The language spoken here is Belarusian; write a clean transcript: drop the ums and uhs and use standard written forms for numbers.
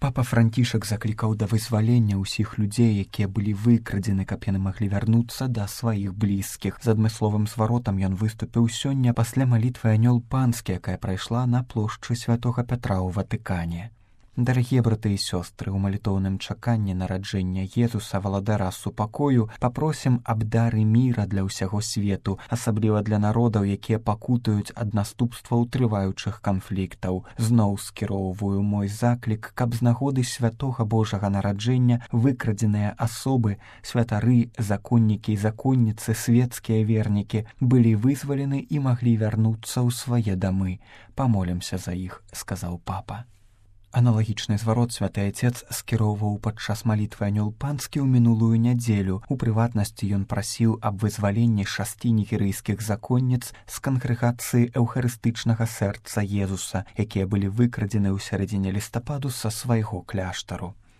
Папа Францішак заклікаў да вызвалення ўсіх людзей, якія былі выкрадзены, каб яны маглі вярнуцца да сваіх блізкіх. З адмысловым зваротам ён выступіў сёння пасля малітвы анёл панскі, якая прайшла на плошчы святога Пятра ў Ватыкане. Дарагія браты і сёстры, у малітоўным чаканні нараджэння Езуса, валадара супакою, папросім аб дары міра для ўсяго свету, асабліва для народаў, якія пакутаюць ад наступстваў трываючых канфліктаў. Зноў скіроўваю мой заклік, каб з нагоды святога Божага нараджэння выкрадзеныя асобы, святары, законнікі і законніцы, светскія вернікі былі вызвалены і маглі вярнуцца ў свае дамы. Памолімся за іх, сказаў папа. Аналагічны зварот святы Отец скіроўваў падчас малітвы анёл панскі ў мінулую нядзелю. У прыватнасці ён прасіў аб вызваленні 6 нігерыйскіх законніц з кангрэгацыі эўхарыстычнага сэрца Езуса, якія былі выкрадзены ў сярэдзіне лістападу са свайго кляштару.